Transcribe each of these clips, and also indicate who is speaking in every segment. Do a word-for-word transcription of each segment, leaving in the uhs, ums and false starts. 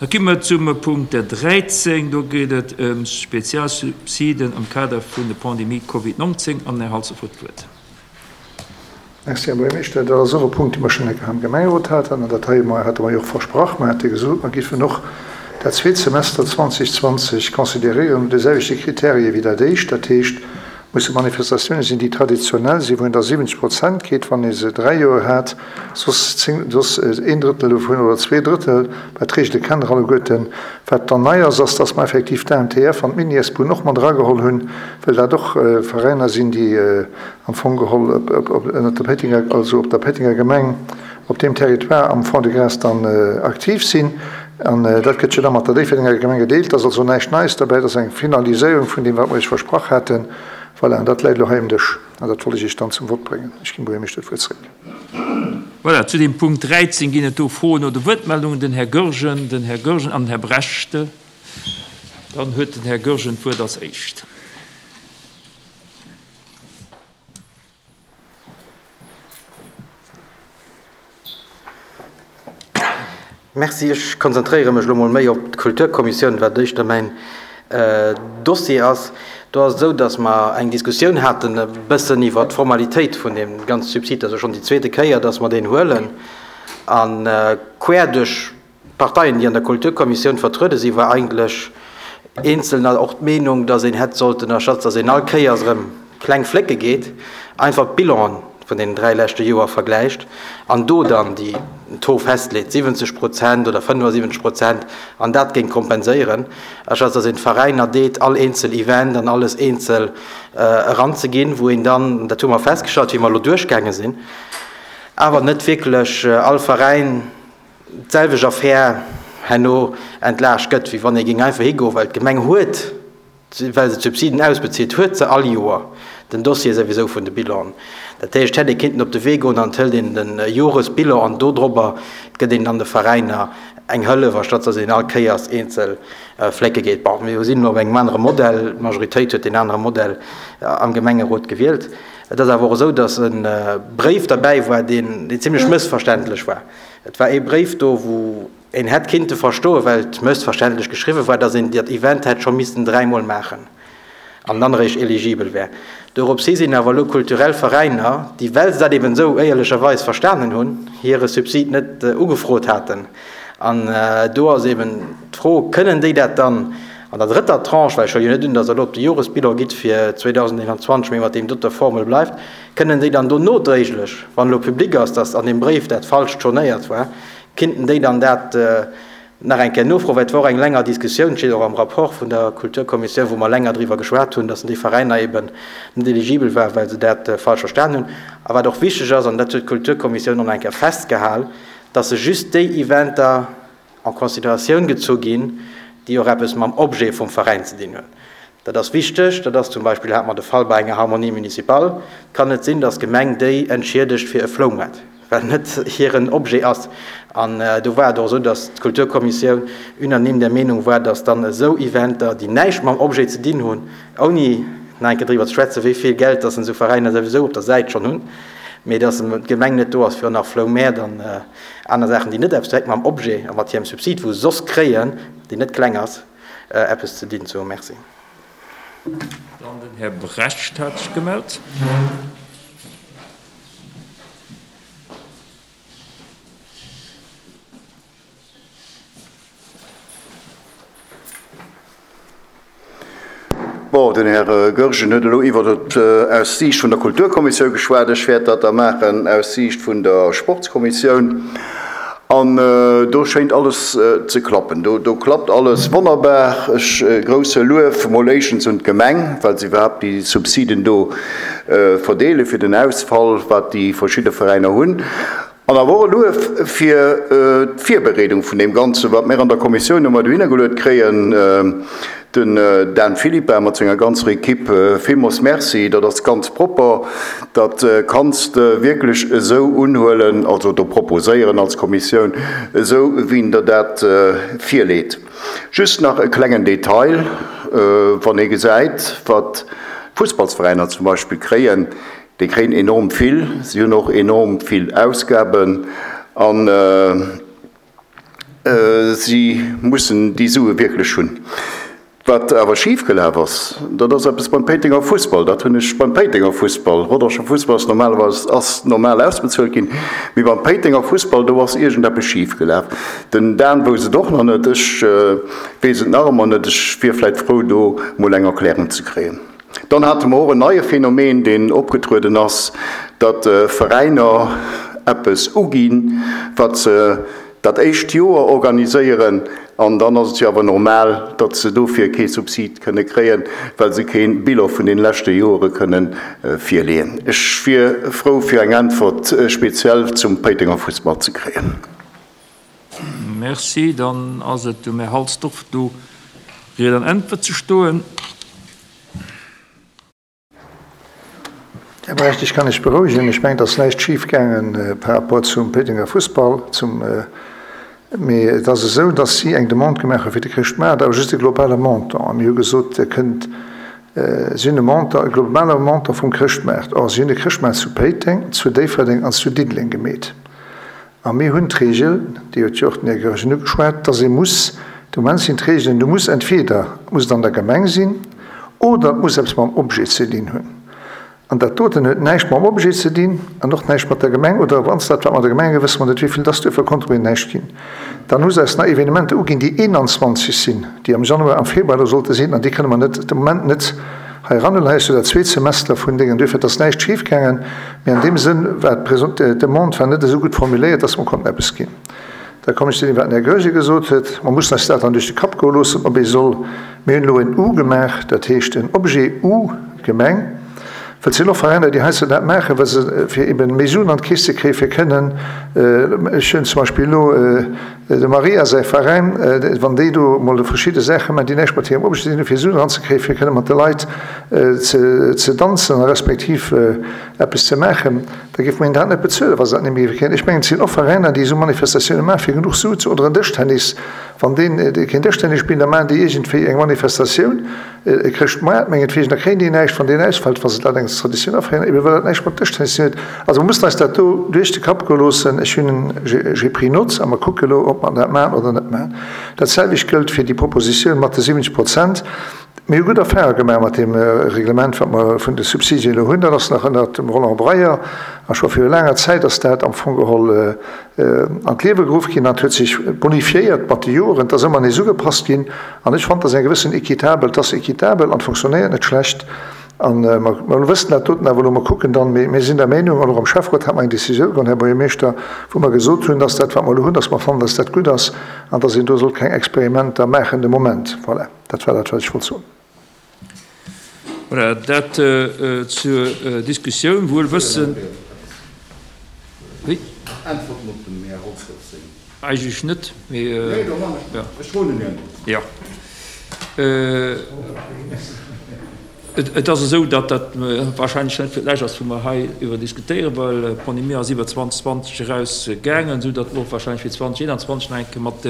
Speaker 1: Da komme mer zum Punkt dräizéng. Do geet et ëm Spezialsubsiden am Kader vun der Pandemie Covid neunzehn. An den Här Halsdorf huet d'Wuert.
Speaker 2: Merci, Här Buergermeeschter. Dat ass och e Punkt, dee mer schonn eng Kéier am Gemengerot haten. An dat hei hate mer jo och versprach. Mer hate gesot, mer géifen och dat zweet Semester zweitausendzwanzig consideréieren no de selwechte Kriterien wéi dat éischt. Dat heescht, musse Manifestatiounen sinn, déi traditionell sinn, wou een da siwwenzeg Prozent kritt, wann ee se dräi Joer hat, soss zéng, soss een Drëttel dovun oder zwee Drëttel, well d'Reegele kennen der alleguerten. Wat dann nei ass, ass, dass mer effektiv d'A M T F an d'Mini-S-Bunn och mat erageholl hunn, well dat och Veräiner sinn, déi am Fong geholl op, op, op, ënnert der Péitenger, also op der Péitenger Gemeng, op deem Territoire am Fond-de-Gras dann aktiv sinn. An dat gëtt jo da mat der Déifferdenger Gemeng gedeelt. Dat ass also näischt Neies derbäi, dat ass eng Finaliséierung vun deem, wat mer Iech versprach haten. Voilà, an dat läit elo hei um Dësch. An dat wollt ech Iech dann zum Vott bréngen. Ech ginn Buergermeeschter d'Wuert zréck.
Speaker 1: Voilà, zu dem Punkt dräizéng ginn et do Froen oder Wuertmeldungen. Den Här Goergen, den Här Goergen an den Här Brecht. Dann huet den Här Goergen d'Wuert als éischt.
Speaker 3: Merci. Ech konzentréiere mech elo mol méi op d'Kulturkommissioun, wat éischter mäin Dossier ass. Do ass et esou, datt mer eng Diskussioun haten e bëssen iwwer d'Formalitéit vun deem ganze Subsid. Dat ass jo schonn déi zweete Kéier, datt mer deen huelen. An quer duerch d'Parteien, déi an der Kulturkommissioun vertruede sinn, war eigentlech eenzelner och d'Meenung, datt een hätt sollten, anstatt datt een all Kéiers erëm kleng Flécke geet, einfach d'Bilanen vun deenen dräi leschte Joer vergläicht an do dann déi Taux festleet, siwwenzeg Prozent oder fënnefasiwwenzeg Prozent, an dat géing kompenséieren, anstatt datt een d'Veräiner deet, all eenzel Event an alles eenzel eranzeginn, wou een dann, dat hu mer festgestallt, wéi mer elo duerchgaange sinn, awer net wierklech all Veräin d'selwecht Affär herno entlaascht gëtt, wéi wann ee géing einfach higoen, well d'Gemeng huet, well se d'Subsiden ausbezilt, huet se all Joer den Dossier souwisou vun de Bilan. Dat heescht, hätt ee kinnten op de Wee goen an hëlt een den Joresbilan an do drobber gëtt een dann de Veräiner eng Hëllef, anstatt dass een all Kéiers eenzel Flécke geet. Bon, mir sinn elo op engem anere Modell, d'Majoritéit huet deen anere Modell am Gemengerot gewielt. Et ass awer och esou, dass e Bréif derbäi war, deen, deen zimmlech mëssverständlech war. Et war ee Bréif do, wou een hätt kinnte verstoen, well et mëssverständlech geschriwwen war, dass een dat Event hätt scho missten dräimol maachen an dann eréischt eligibel wär. Dorops hi sinn awer elo kulturell Veräiner, déi, well se dat eben esou éierlecherweis verstanen hunn, hire Subsid net ugefrot haten. An do ass eben d'Fro, kënnen déi dat dann an der drëtter Tranche, well ech huele jo net un, dass der elo op de Joresbilan gitt fir zweitausendeenundzwanzeg, mee mat deem doter Formel bleift, kënnen déi dann do nodréiglech, wann elo public ass, dass an deem Bréif dat falsch tournéiert war, kinnten déi dann dat nach eng Kéier nofroen, well et war och eng länger Diskussioun, steet och am Rapport vun der Kulturkommissioun, wou mer länger driwwer geschwat hunn, dass déi Veräiner eben net eligibel waren, well se dat falsch verstanen hunn. A wat och wichteg ass, an dat huet d'Kulturkommissioun och nach eng Kéier festgehal, dass se just déi Eventer en Consideratioun gezu ginn, déi och eppes mam Objet vum Veräin ze dinn hunn. Dat ass wichteg, dat ass zum Beispill, hat mer de Fall bei enger Harmonie municipale, et kann net sinn, dass d'Gemeng déi entschiedegt fir e Floumaart, well net hiren Objet ass. An do war et och esou, dass d'Kulturkommissioun unanime der Meenung war, dass dann esou Eventer, déi näischt mam Objet ze dinn hunn, ouni nach eng Kéier driwwer ze schwätzen, wéi vill Geld dass esou Veräiner souwisou op der Säit schonn hunn, mee dass d'Gemeng net do ass fir nach Floumäert an aner Saachen, déi net eppes direkt mam Objet a mat hirem Subsid, wou se soss kréien, deen net kleng ass, eppes ze dinn ze hunn. Merci.
Speaker 1: Dann den Här Brecht hat sech gemellt.
Speaker 4: Bon, den Här Goergen huet elo iwwer et aus Siicht vun der Kulturkommissioun geschwat. Ech wäert dat da maachen aus Siicht vun der Sportskommissioun. An do schéint alles ze klappen. Do, do klappt alles wonnerbar. Ech grousse Luef mol éischtens un d'Gemeng, well se iwwerhaapt déi Subsiden do verdeele fir den Ausfall, wat déi verschidde Veräiner hunn. An awer och e Luef fir d'Virbereedung vun deem Ganzen, wat mir an der Kommissioun ëmmer dohinner geluet kréien. Den Dan Philippa mat senger ganzer Equipe, villmools Merci, dat ass ganz propper. Dat kanns de wierklech esou unhuelen, also do proposéieren als Kommissioun, esou wéi en der dat virleet. Just nach e klengen Detail, wann ee gesäit, wat d'Fussballsveräiner zum Beispill kréien, déi kréien enorm vill, si hunn och enorm vill Ausgaben an Si mussen déi Sue wierklech hunn. Wat awer schif gelaf ass, dat ass eppes beim Péitenger Fussball. Dat hunn ech beim Péitenger Fussball, Rodangener Fussball ass normalerweis ass normal ausbezuelt ginn, mee beim Péitenger Fussball, do ass iergendeppes schif gelaf. Den Dan wouss et och nach net, ech weess et nach ëmmer net. Ech wier vläicht frou, do mol eng Erklärung ze kréien. Dann hate mer och en neie Phänomen, deen opgetrueden ass, datt Veräiner eppes uginn, wat se dat éischt Joer organiséieren, an dann ass et jo awer normal, datt se dofir kee Subsid kënne kréien, well se kee Bilan vun deene leschte Joere kënne virleeën. Ech wier frou fir eng Äntwert speziell zum Péitenger Fussball ze kréien.
Speaker 1: Merci. Dann ass et um Här Halsdorf do Ried an Äntwert ze stoen.
Speaker 2: Här Brecht, ech kann lech berouegen, ech mengen, et ass näischt schif gaange par rapport zum Péitenger Fussball, zum, mee et ass esou, datt si eng Demande gemaach hu fir de Chrëschtmaart, awer just e globale Montant. A mir hu gesot, Dir kënnt, si hunn e Montant, e globale Montant vum Chrëschtmaart. Or, si hunn de Chrëschtmaart zu Péiteng, zu Déifferdeng an zu Diddeleng gemeet. A mir hunn d'Regel, déi huet jo och den Här Goergen ugeschwat, datt ee muss, de Moment sinn d'Regelen, du muss entweder muss et an der Gemeng sinn oder et muss eppes mam Objet ze dinn hunn. An dat doten huet näischt mam Objet ze dinn an och näischt mat der Gemeng, oder wann s dat wat mat der Gemeng huet, wësse mer net, wéi vill dass duerfir konnt mir näischt ginn. Dann hu se eis nach Evenementer uginn, déi eenanzwanzeg sinn, déi am Januar, am Februar do sollte sinn, an déi kënne mer net de Moment net hei eranhuelen. Hei ass jo dat zweet Semester vun Déngen, duerfir et ass näischt schifgaangen, mee an deem Sënn war d'Demande war net esou gutt formuléiert, dass mer konnten eppes ginn. Da kommen ech zu deem, wat den Här Goergen gesot huet. Mer mussen eis dat dann duerch de Kapp goe loossen, ob ee soll, mir hunn elo en U gemaach, dat heescht en Objet U, Gemeng, well et sinn och Veräiner, déi heiansdo dat maachen, well se, fir eben méi Suen an d'Keess ze kréien, fir kënnen, ech hunn zum Beispill elo dem Maria säi Veräin, wann déi do emol verschidde Saache maachen, déi näischt mat hirem Objet ze dinn hunn, fir Suen eranzekréien, fir kënne mat de Leit ze danzen a respektiv eppes ze maachen, da géif mer hinnen dat net bezuelen, wa se dat net méi géife kréien. Ech mengen, et sinn och Veräiner, déi esou Manifestatioune maachen, fir genuch Su ze, oder en Dëschtennis, wann deen keen Dëschtennis spillt, da maachen déi iergendwéi eng Manifestatioun, e Chrëschtmoart mengetwegen, da kréien déi näischt, wann deen ausfält, wa se dat eng Traditioun aféieren, ebe well dat näischt mat Dëschtennis ze dinn huet. Also mer mussen eis dat do duerch de Kapp goe loossen. Ech hunn, j'ai pris note a mer kucke elo, ob mer dat maachen oder net maachen. Dat selwecht gëllt fir déi Propositioun mat de siwwenzeg Prozent. Mir hu gutt Erfahrunge gemaach mat deem Reglement, wat mer vun de Subsidien elo hunn. Dat ass nach ënnert dem Roland Breyer a scho viru laanger Zäit ass dat am Fong geholl an d'Liewe geruff ginn an et huet sech bonifiéiert mat de Joren. Et ass ëmmer nees ugepasst ginn an ech fannen, et ass eng gewëssen équitabel, et ass équitabel an et fonctionnéiert net schlecht. A mer wëssen dat doten awer elo, mer kucken dann, mee mir sinn der Meinung, an och am Schäfferot hat mer eng Décisioun geholl, Här Buergermeeschter, wou mer gesot hunn, dass dat, wat mer elo hunn, dass mer fannen, dass dat gutt ass an dass een do sollt keng Experimenter maachen de Moment. Voilà. Dat war dat, wat ech wollt soen.
Speaker 1: Voilà, dat zur Diskussioun. Wuel wëssen. Wéi?
Speaker 4: Äntwerten op dem Här Holzstorff seng.
Speaker 1: Eigentlech net, mee.
Speaker 4: Nee, do man ech. Ech froen en Äntwert.
Speaker 1: Jo. Et ass esou, datt dat wahrscheinlech net fir d'lescht ass, wou mer hei iwwer diskutéieren, well d'Pandemie ass iwwer zweitausendzwanzeg eraus gaangen, esou datt mer och wahrscheinlech fir zweitausendeenanzwanzeg nach eng Kéier mat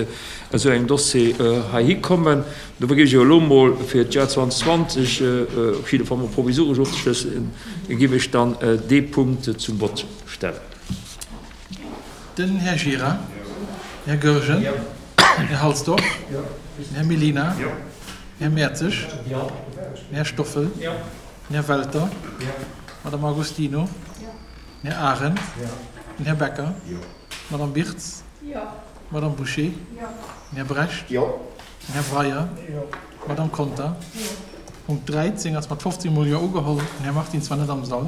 Speaker 1: esou engem Dossier heihi kommen. Dofir géif ech elo emol, fir d'Joer zweitausendzwanzeg op jidde Fall mol provisoresch ofzeschlëssen, géif ech dann dee Punkt zum Vott stellen.
Speaker 5: Den Här Gira. Den Här Goergen. Den Här Halsdorf. Den Här Mellina. Den Här Mertzig. Den Här Stoffel. Den Här Welter. D'Madame Agostino. Den Här Arendt. Den Här Becker. D'Madame Birtz. D'Madame Bouché. Den Här Brecht. Den Här Breyer. D'Madame Conter. Punkt dräizéng ass mat fofzéng mol Jo ugeholl. Den Här Martins war net am Sall.